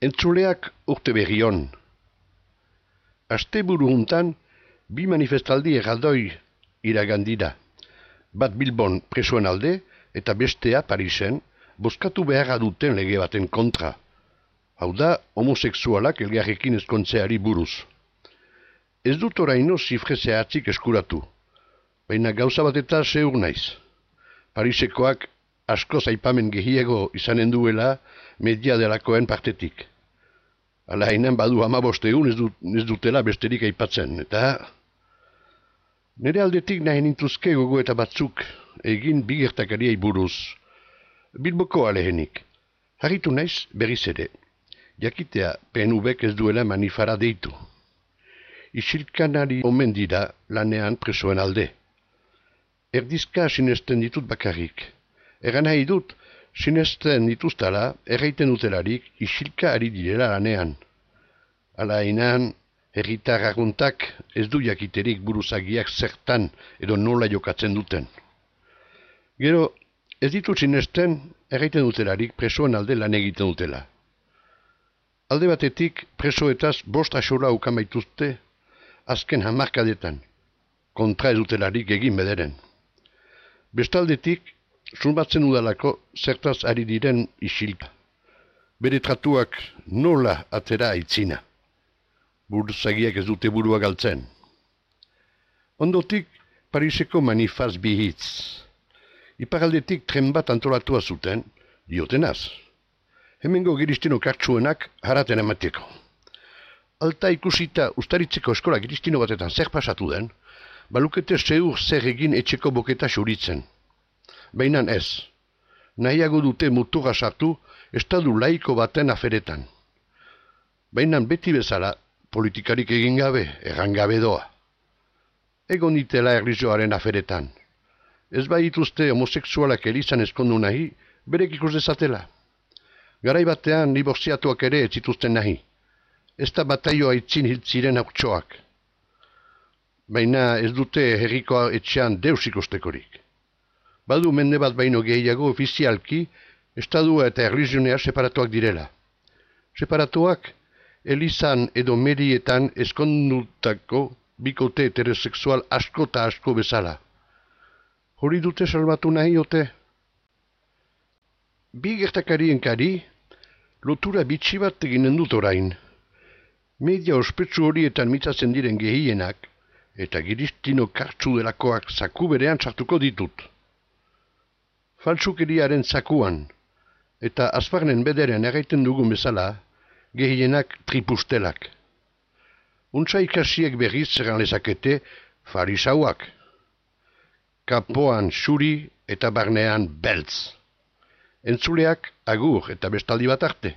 Entzuleak urte berri on. Asteburu hontan, bi manifestaldi erraldoi iragandira. Bat Bilbon presoen alde eta bestea Parisen bozkatu beharra duten lege baten kontra. Hau da, homosexualak elgarrekin ezkontzeari buruz. Ez dut oraino zifre zehatzik eskuratu, baina gauza bat eta zeur naiz. Parisekoak askoz aipamen gehiago izanen duela media delakoen partetik. Hala hainan badu 15 egun ez dutela besterik aipatzen, eta nire aldetik nahi nintuzke gogo eta batzuk egin bi gertakariei buruz. Bilboko alehenik. Harritu naiz berriz ere. Jakitea PNV-k ez duela manifara deitu. Isilkanari omen dira lanean presoen alde. Erdizka sinesten ditut bakarrik. Egan nahi dut, sinesten dituztala erraiten dutelarik isilka ari direla lanean. Hala hainan, herritar aguntak ez du jakiterik buruzagiak zertan edo nola jokatzen duten. Gero, ez ditut sinesten erraiten dutelarik presoen alde lan egiten dutela. Alde batetik presoetaz 5 axola ukan baituzte azken hamarkadetan, kontra ez dutelarik egin bederen. Bestaldetik, zunbatzen udalako zertaz ari diren isilka. Bere tratuak nola atera aitzina. Buruzagiak ez dute burua galtzen. Ondotik, Pariseko manifaz bihitz. Iparaldetik tren bat antolatua zuten, diotenaz. Hemengo giristino kartsuenak haraten emateko. Alta ikusita ustaritzeko eskola giristino batetan zer pasatu den, balukete zeur zer egin etxeko boketa xuritzen. Baina ez, nahiago dute muturra sartu estadu laiko baten aferetan. Baina beti bezala, politikarik egin gabe, erran gabe doa. Egon ditela erlijioaren aferetan. Ez baituzte homosexualak elizan ezkondu nahi, berek ikus dezatela. Garai batean dibortziatuak ere ez zituzten nahi. Ez da bataioa itzin hiltziren hautsoak. Baina ez dute herriko etxean deus ikustekorik. Badu mende bat baino gehiago ofizialki, estadua eta erlijionea separatuak direla. Separatuak, elizan edo medietan ezkondutako bikote heterosexual asko eta asko bezala. Hori dute salbatu nahi ote? Bi gertakarien kari, lotura bitxi bat eginen dut orain. Media ospetsu horietan mitzatzen diren gehienak, eta giristino kartsu delakoak zaku berean sartuko ditut. Faltsukeriaren zakuan, eta azparnen bederen erraiten dugun bezala, gehienak tripustelak. Untsa ikasiek berriz zeran lezakete farisauak. Kapoan xuri eta barnean beltz. Entzuleak agur eta bestaldi bat arte.